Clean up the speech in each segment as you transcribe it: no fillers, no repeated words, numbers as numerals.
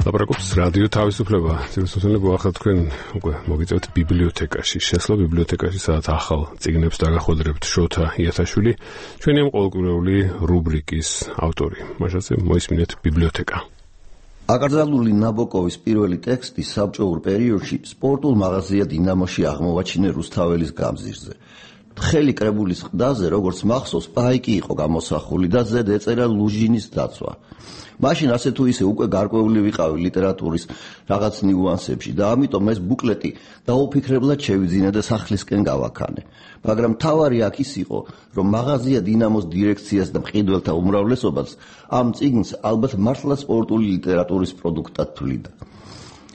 ლაპარაკობს რადიო თავისუფლება. ძირითადად მოახერხეთ თქვენ უკვე მოგიწევთ ბიბლიოთეკაში. შესვლა ბიბლიოთეკაში, სადაც ახალ წიგნებს დაგახვედრებთ შოთა იათაშვილი, ჩვენი ამ ყოველკვირეული რუბრიკის ავტორი. მაშასე მოისმინეთ ბიბლიოთეკა. აკრძალული ნაბოკოვის პირველი ტექსტი საბჭოურ პერიოდში სპორტულ მაღაზია დინამოში აღმოვაჩინე რუსთაველის გამზირზე. თხელი კრებულის ყდაზე, როგორც მახსოვს, პაიკი იყო გამოსახული და ზედ ეწერა ლუჟინის დაცვა. მაშინ ასე თუ ისე უკვე გარკვეული ვიყავი ლიტერატურის რაღაც ნიუანსებში და ამიტომ ეს ბუკლეტი დაუფიქრებლად შევიძინე და სახლისკენ გავაქანე. მაგრამ თავარი აქ ის იყო, რომ მაღაზია დინამოს დირექციას და მყიდველთა უმრავლესობას ამ წიგნს ალბათ მართლა სპორტული ლიტერატურის პროდუქტად თვლიდა.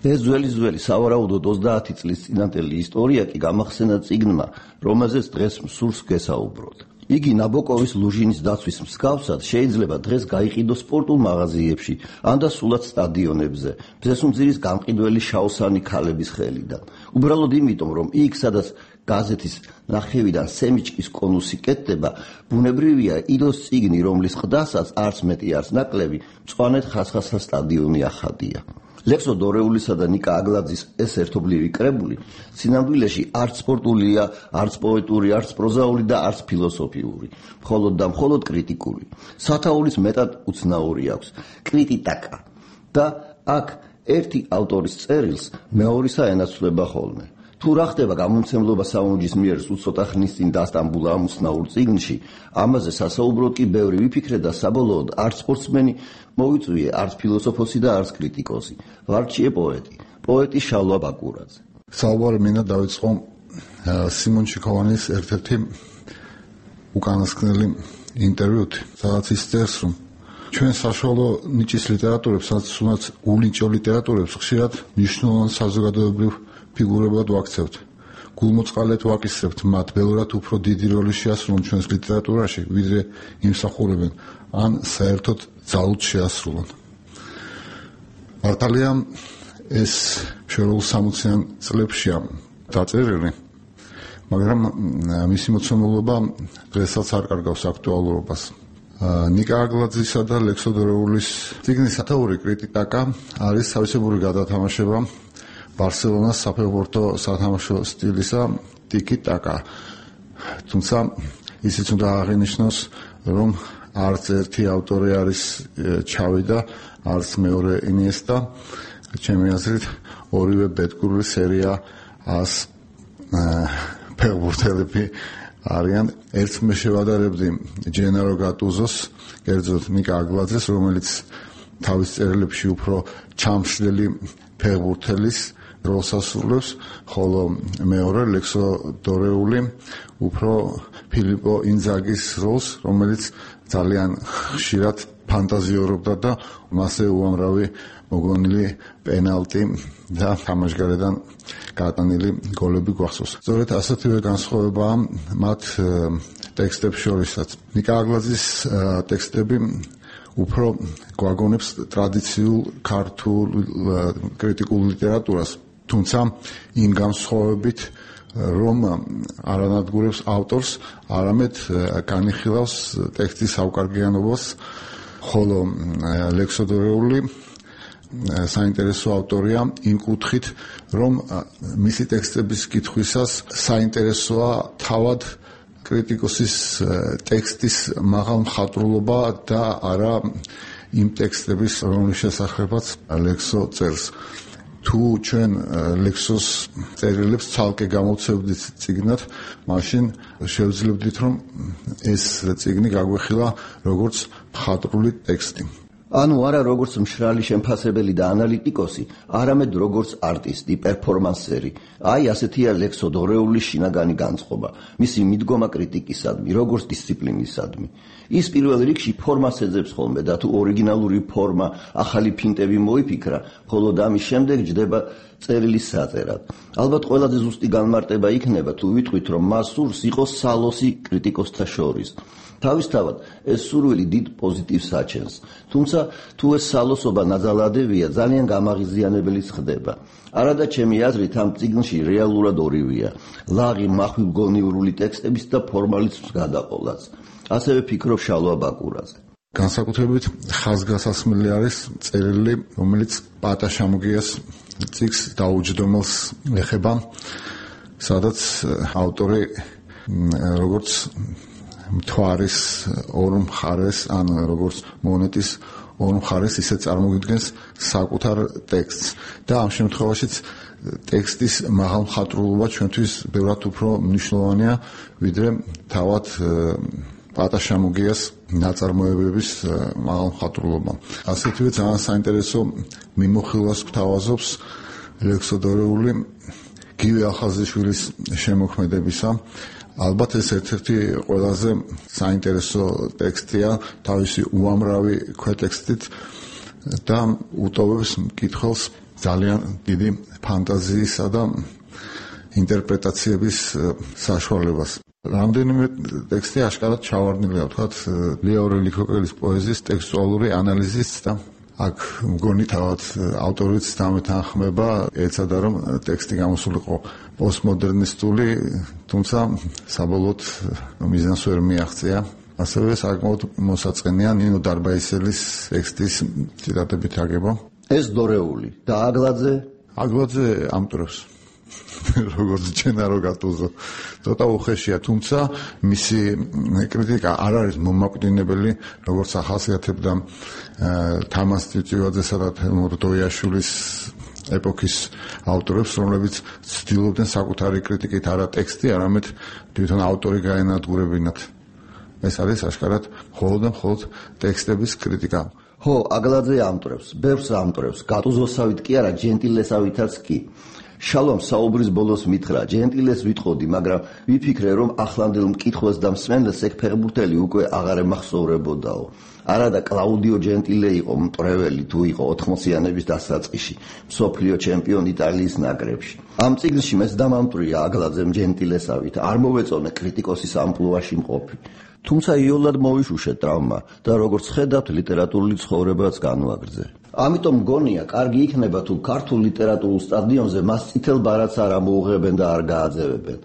ეს ძველი სავარაუდოდ 30 წლის წინანდელი ისტორია კი გამახსენა წიგნმა, რომელზეც დღეს მსურს გესაუბროთ. იგი ნაბოკოვის ლუჟინის დაცვის მსგავსად შეიძლება დღეს გაიყიდოს სპორტულ მაღაზიებში, ან და სულად სტადიონებზე, მზესუმძირის გამყიდველი შაოსანი ქალების ხელიდან. უბრალოდ იმიტომ, რომ იქ, სადაც გაზეთის ნახევიდან სემიჩკის კონუსი კეთდება, ბუნებრივია იდოს წიგნი, რომლის ყდასაც არც მეტი არც ნაკლები, მწვანედ ხასხასა სტადიონი ახადია. ლექსო დორეულისა და ნიკა აგლაძის ეს ერთობლივი კრებული სინამდვილეში არც სპორტულია, არც პოეტური, არც პროზაული და არც ფილოსოფიური, მხოლოდ და მხოლოდ კრიტიკული. სათაურის მეტად უცნაური აქვს, კრიტიკა და აქ ერთი ავტორის წერილს მეორისა ენაცვლება ხოლმე. თუ რა ხდება გამომცემლობა საუნჯის მიერ უცოტა ხნის წინ დასტამბულა ამ უცნაურ წიგნში, ამაზე სასაუბროდ კი ბევრი ვიფიქრე და საბოლოოდ არც სპორტსმენი მოვიწვიე, არც ფილოსოფოსი და არც კრიტიკოსი. ვარჩიე პოეტი შალვა ბაკურაძე. საუბარი მინდა დავიწყო სიმონ ჩიქოვანის ერთ-ერთი უკანასკნელი ინტერვიუთ, სადაც ის წერს, რომ ჩვენ საშუალო ნიჭის ლიტერატურებს, სადაც ულინჭო ლიტერატურებს ხშირად მნიშვნელოვან საზოგადოებრივ ფიგურებად ვაქცევთ. გულმოწყალედ ვაკისრებთ მათ, ველურად უფრო დიდი როლი შეასრულონ ჩვენს ლიტერატურაში, ვიდრე იმსახურებენ, ან საერთოდ ძალუთ შეასრულონ. მართალია ეს შერეულ 60-იან წლებშია დაწერილი, მაგრამ მისი მოცემულობა დღესაც არ კარგავს აქტუალურობას. ნიკა აგლაძისა და ლექსო დორეულის წიგნის სათაური კრიტიკა არის თავისებური გადათამაშება ბარსელონას საფეხბურთო სათამაშო სტილისა ტიკი-ტაკა. თუმცა ისიც უნდა აღინიშნოს, რომ არც ერთი ავტორი არის ჩავი და არც მეორე ინიესტა. ჩემი აზრით, ორივე ბედკურული სერია 100 ფეხბურთელები არიან. ერთს მე შევადარებდი ჯენარო გატუზოს, კერძოდ ნიკა აგლაძეს, რომელიც თავის წერილებში უფრო ჩამშლელი ფეხბურთელის როლს ასრულებს, ხოლო მეორე ლექსო დორეული უფრო ფილიპო ინძაგის როლს, რომელიც ძალიან ხშირად ფანტაზიორობდა და მასზე უამრავი მოგონილი პენალტი და თამაშგარედან გატანილი გოლები გვახსოვს. სწორედ ასეთივე განსხვავებაა მათ ტექსტებს შორისაც. ნიკა აგლაძის ტექსტები უფრო გვაგონებს ტრადიციულ ქართულ კრიტიკულ ლიტერატურას, თუმცა იმ განსხვავებით, რომ არ ანადგურებს ავტორს, არამედ განიხილავს ტექსტის საუკარგიანობას, ხოლო ლექსო დორეული საინტერესო ავტორია იმ კუთხით, რომ მისი ტექსტების კითხვისას საინტერესოა თავად კრიტიკოსის ტექსტის მაღალ მხატვრულობა და არა იმ ტექსტების, რომლის შესახებაც ლექსო წერს. თუ ჩვენ ლექსოს წერილებს ცალკე გამოვცემდით წიგნად, მაშინ შევძლებდით, რომ ეს წიგნი გაგვეხილა როგორც მხატვრული ტექსტი. ანუ არა როგორც მშრალი შემფასებელი და ანალიტიკოსი, არამედ როგორც არტისტი, პერფორმანსერი. აი ასეთია ლექსო დორეულის შინაგანი განწყობა, მისი მიდგომა კრიტიკისადმი, როგორც დისციპლინისადმი. ის პირველ რიგში ფორმას ეძებს ხოლმე და თუ ორიგინალური ფორმა, ახალი ფინტები მოიფიქრა, ხოლო ამის შემდეგ ჯდება წერილის საწერად. ალბათ ყველაზე ზუსტი განმარტება იქნება, თუ ვიტყვით, რომ მას სურს იყოს სალოსი კრიტიკოსთა შორის. თავისთავად ეს სურვილი დიდ პოზიტივს აჩენს, თუმცა თუ ეს სალოსობა ნაძალადებია, ძალიან გამაღიზიანებელიც ხდება. არადა ჩემი აზრით ამ წიგნში რეალურად ორივეა: ლაღი მახვილგონიურული ტექსტების და ფორმალიზმის გადაყოლაც. ასევე ფიქრობ შალვა ბაკურაძე. განსაკუთრებით ხაზგასასმელი არის წერილი, რომელიც პატაშამოგიას წიგნს დაუჯდომელს ეხება, სადაც ავტორი როგორც მთვარის ორ მხარეს, ან როგორც მონეტის ორ მხარეს ისე წარმოგიდგენს საკუთარ ტექსტს და ამ შემთხვევაშიც ტექსტის მაღალმხატვრულობა ჩვენთვის ბევრად უფრო მნიშვნელოვანია, ვიდრე თავად პატაშამოგიას ნაწარმოებების მაღალმხატვრულობა. ასეთივე ძალიან საინტერესო მიმოხილვას გვთავაზობს ლექსოდორეული გივი ახალზიშვილის შემოქმედებისა. ალბათ ეს ერთ-ერთი ყველაზე საინტერესო ტექსტია თავისი უამრავი ქვეტექსტით და უტოვებს მკითხველს ძალიან დიდი ფანტაზიისა და ინტერპრეტაციების საშუალებას. რამდენიმე ტექსტი აშკარად ჩავარდნილია, ვთქვათ, ლიაურე ლიქოკელის პოეზიის ტექსტუალური ანალიზის და აქ მგონი თავად ავტორიც დამეთანხმება, ეცადა რომ ტექსტი გამოსულიყო პოსტმოდერნისტული, თუმცა საბოლოოდ მიზანს ვერ მიაღწია. ასევე საკმაოდ მოსაწყენია ნინო დარბაისელის ტექსტის ციტატებით აგება. ეს დორეული და აგლაძე ამტვრევს. როგორც ჯენარო გატუზო. ცოტა უხეშია, თუმცა მისი კრიტიკა არ არის მომაკვდინებელი, როგორც ახასიათებდა თამას წიწივაძესა და თემურ დოიაშვილის ეპოქის ავტორებს, რომლებიც ცდილობდნენ საკუთარი კრიტიკით არა ტექსტი, არამედ თვითონ ავტორი გაენადგურებინათ. ეს არის აშკარად მხოლოდ ტექსტების კრიტიკა. ხო, აგლაძე ამტვრევს, ბევრს ამტვრევს, გატუზოსავით კი არა, ჯენტილესავითაც კი. შალომ საუბრის ბოლოს მითხრა, ჯენტილეს ვიტყოდი, მაგრამ ვიფიქრე, რომ ახლანდელ მკითხველს და მსმენელს ეგ ფეხბურთელი უკვე აღარ ემახსოვრებოდაო. არა და კლაუდიო ჯენტილე იყო მტვრეველი, თუ იყო 80-იანების დასაწყისში, მსოფლიო ჩემპიონი იტალიის ნაკრებში. ამ წიგნში მეც დამამტვრია აგლაძემ ჯენტილესავით, არ მოვეწონე კრიტიკოსის ამპლუაში მყოფი. თუმცა იოლად მოვიშუშე ტრავმა და როგორც ხედავთ, ლიტერატურული ცხოვრებაც განვაგრძე. ამიტომ მგონია, კარგი იქნება თუ ქართულ ლიტერატურულ სტადიონზე მას წითელ ბარათს არ ამოუღებენ და არ გააძევებენ.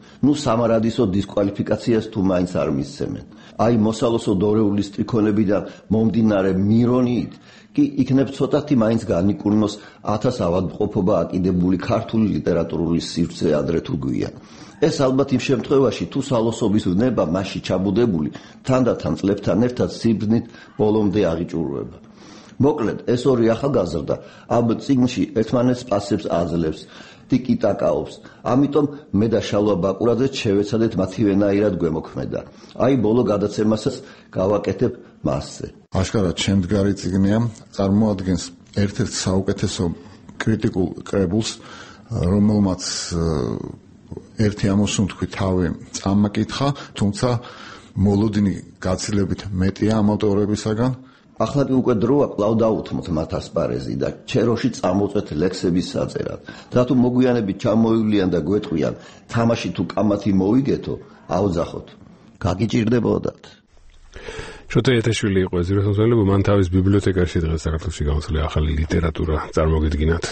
სამარადისო დისკვალიფიკაციას თუ მაინც არ მისცემენ. აი მოსალოსო დორეული სტრიქონებიდან მომდინარე მირონიით კი იქნებ ცოტათი მაინც განიკურნოს 1000 ავადმყოფობა აკიდებული ქართული ლიტერატურული სივრცე ადრე თუ გვიან. ეს ალბათ იმ შემთხვევაში თუ სალოსობის ვნება მასში ჩაბუდებული თანდათან წლებთან ერთად სიბრძნით ბოლომდე აღიჭურვება. მოკლედ, ეს ორი ახალგაზრდა ამ წიგნში ერთმანეთს პასებს აძლევს, ტიკიტაკაობს. ამიტომ მე და შალვა ბაკურაძეც შევეცადეთ მათივენაირად გვემოქმედა. აი ბოლო გადაცემასაც გავაკეთებ მასზე. აშკარად შემდგარი წიგნია, წარმოადგენს ერთ-ერთ საუკეთესო კრიტიკულ კრებულს, რომელმაც ერთი ამოსუნთქვი თავი წამაკითხა, თუმცა მოლოდინი გაცილებით მეტია ამ ავტორებისაგან. ახლა კი უკვე დროა კვლავ დაუთმოთ მათ ასპარეზი და ჩეროში წამოწვეთ ლექსების საწერად. რატო მოგვიანებით ჩამოივლიან და გვეტყვიან, თამაში თუ კამათი მოვიგეთო, აუძახოთ. გაგიჭირდებოდათ. შოთა იეთაშვილი იყო ეს რესურსები, მან თავის ბიბლიოთეკაში დღეს საქართველოში გამოსული ახალი ლიტერატურა წარმოგიდგინათ.